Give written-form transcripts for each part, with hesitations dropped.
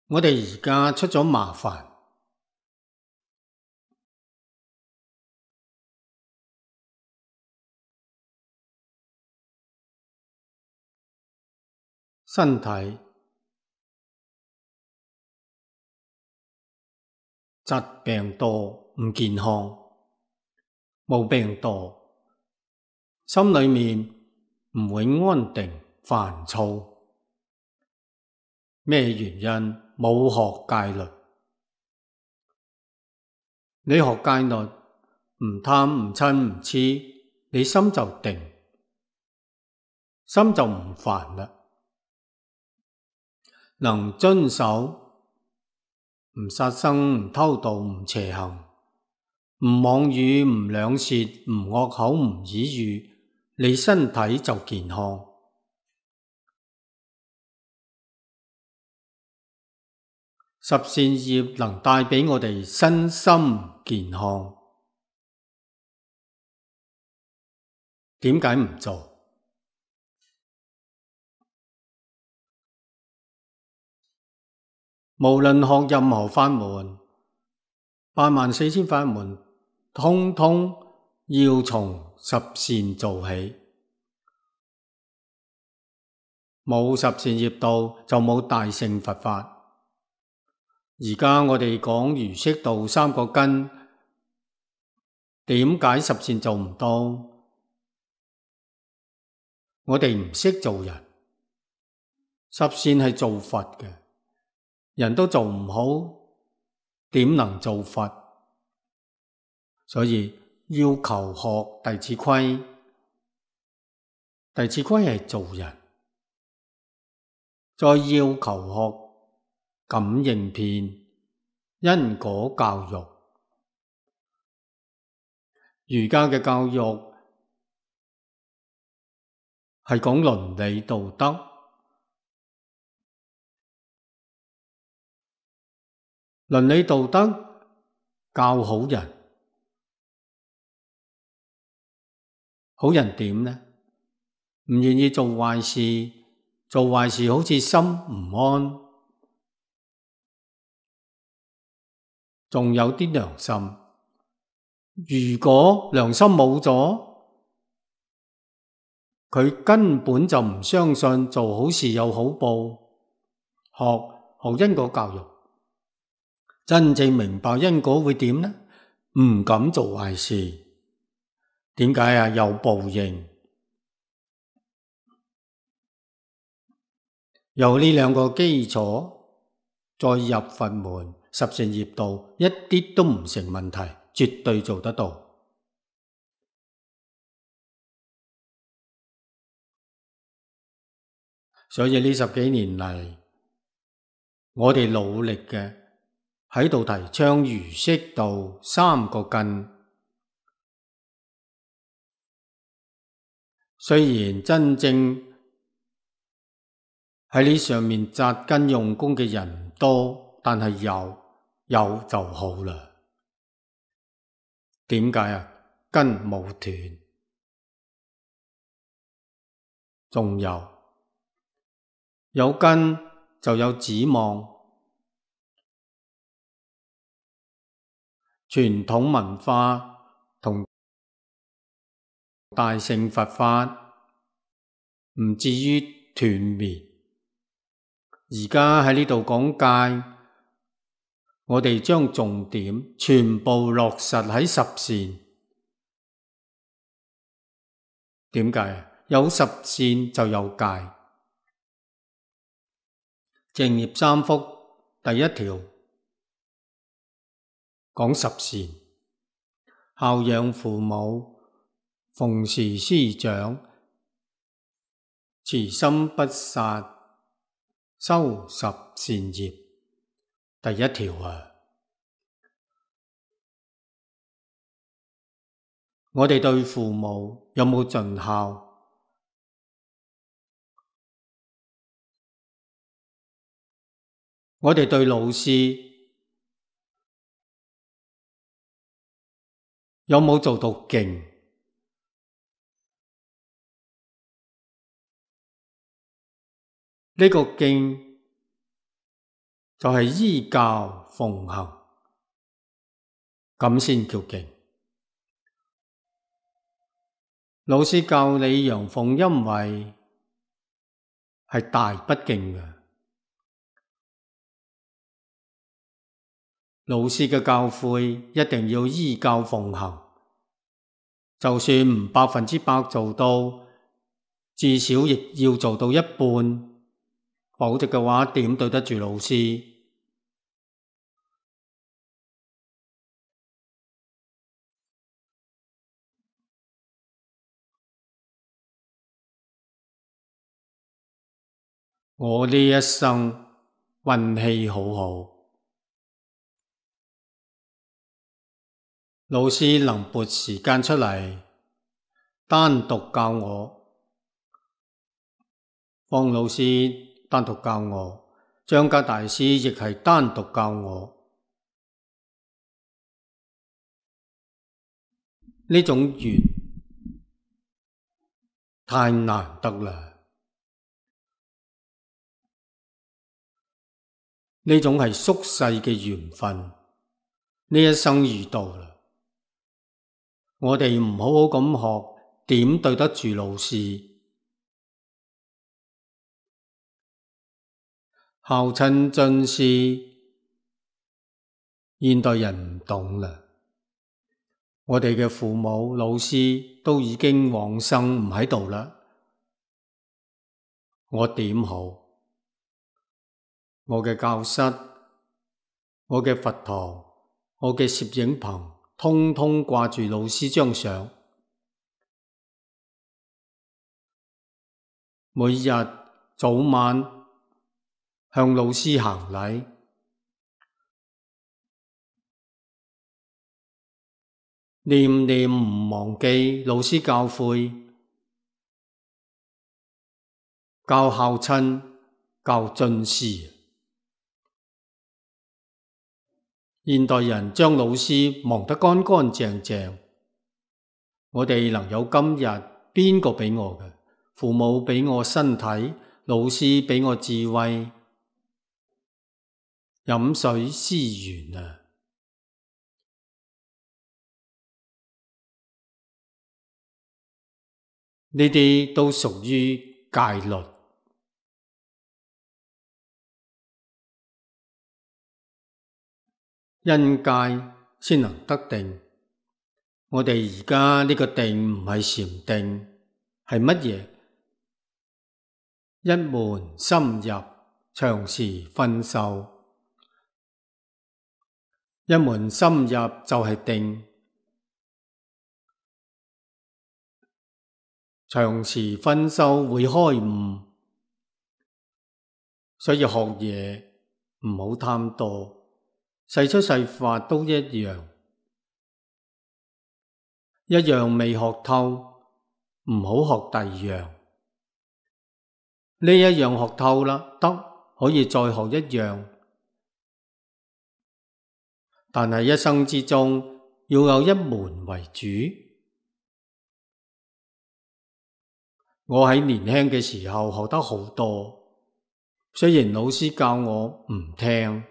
我哋而家出咗麻煩，身體疾病多，唔健康，毛病多，心裏面唔會安定，煩躁。咩原因？冇學戒律。你學戒律，唔貪唔嗔唔癡，你心就定，心就唔煩啦。能遵守，唔殺生，唔偷盜，唔邪行，唔妄語，唔兩舌，唔惡口，唔綺語，你身體就健康。十善業能帶畀我哋身心健康，點解唔做？無論學任何法門，84000法門，通通要從十善做起。冇十善業道就冇大乘佛法。而家我哋講儒釋道三個根，點解十善做唔到？我哋唔識做人，十善係做佛嘅，人都做唔好，點能做佛？所以要求學《弟子規》，《弟子規》係做人，再要求學感應篇、因果教育。儒家嘅教育係講倫理道德，倫理道德教好人。好人點呢？唔願意做壞事，做壞事好似心唔安，仲有啲良心。如果良心冇咗，佢根本就唔相信做好事有好報。學因果教育，真正明白因果會點呢？唔敢做壞事。點解啊？有報應。有呢兩個基礎，再入佛門，十善業道一啲都唔成問題，絕對做得到。所以呢10幾年嚟，我哋努力嘅喺度提倡儒釋道三個根。雖然真正喺呢上面紮根用功嘅人唔多，但係有就好啦。點解啊？根冇斷，仲有根就有指望。傳統文化同大乘佛法唔至於斷滅。而家喺呢度講戒，我哋將重點全部落實喺十善。點解？有十善就有戒。正業三福第一條講十善：孝養父母，奉事師長，慈心不殺，修十善業。第一條啊！我哋對父母有冇盡孝？我哋對老師有冇做到敬？呢個敬就係依教奉行，咁先叫勁。老師教你陽奉陰違，係大不敬嘅。老師嘅教誨一定要依教奉行，就算唔100%做到，至少亦要做到一半，否則嘅話點對得住老師？我呢一生運氣好好，老師能撥時間出嚟單獨教我，方老師單獨教我，張家大師亦係單獨教我，呢種緣太難得啦。呢種係宿世嘅緣分，呢一生遇到啦。我哋唔好好咁學，點對得住老師？孝親尊師，現代人唔懂啦。我哋嘅父母、老師都已經往生唔喺度啦，我點好？我嘅教室、我嘅佛堂、我嘅攝影棚，通通掛住老師張相。每日早晚向老師行禮，念念唔忘記老師教誨，教孝親，教尊師。現代人將老師忘得乾乾淨淨，我哋能有今日，邊個畀我嘅？父母畀我身體，老師畀我智慧，飲水思源啊！呢啲都屬於戒律。因戒先能得定。我哋而家呢個定唔係禪定，係乜嘢？一門深入，長時熏修。一門深入就係定，長時熏修會開悟。所以學嘢唔好貪多。細出細發都一樣，一樣未學透，唔好學第二樣。呢一樣學透啦，得可以再學一樣，但係一生之中要有一門為主。我喺年輕嘅時候學得好多，雖然老師教我唔聽。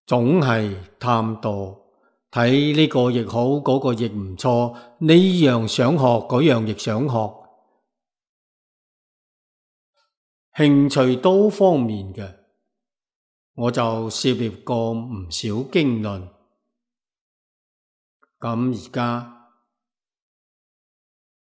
總係貪多，睇呢個亦好，嗰個亦唔錯，呢樣想學，嗰樣亦想學，興趣多方面嘅，我就涉獵過唔少經論。咁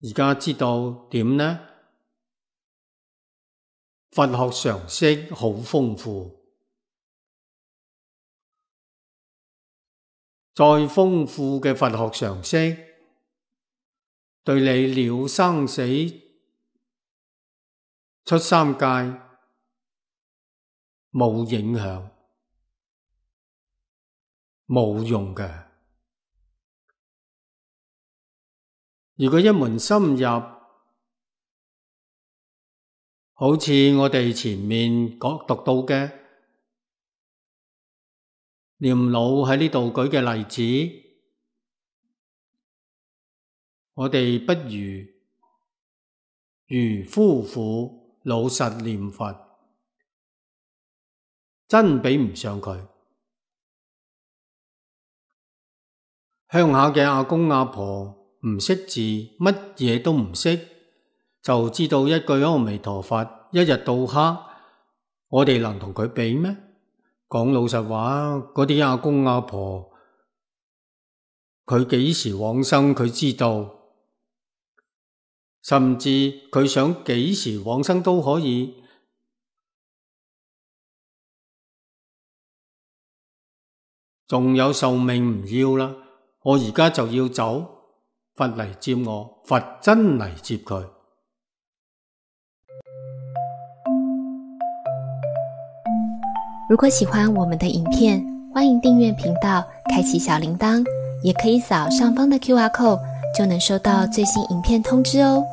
而家知道點呢？佛學常識好豐富。再豐富嘅佛學常識，對你了生死、出三界冇影響，冇用嘅。如果一門深入，好似我哋前面讀到嘅，念老喺呢度舉嘅例子，我哋不如夫婦老實念佛，真比唔上佢。鄉下嘅阿公阿婆唔識字，乜嘢都唔識，就知道一句阿彌陀佛，一日到黑，我哋能同佢比咩？講老實話，嗰啲阿公阿婆，佢幾時往生佢知道，甚至佢想幾時往生都可以。仲有壽命唔要啦，我而家就要走，佛嚟接我，佛真嚟接佢。如果喜歡我們的影片，歡迎訂閱頻道，開啟小鈴鐺，也可以掃上方的QR code，就能收到最新影片通知哦。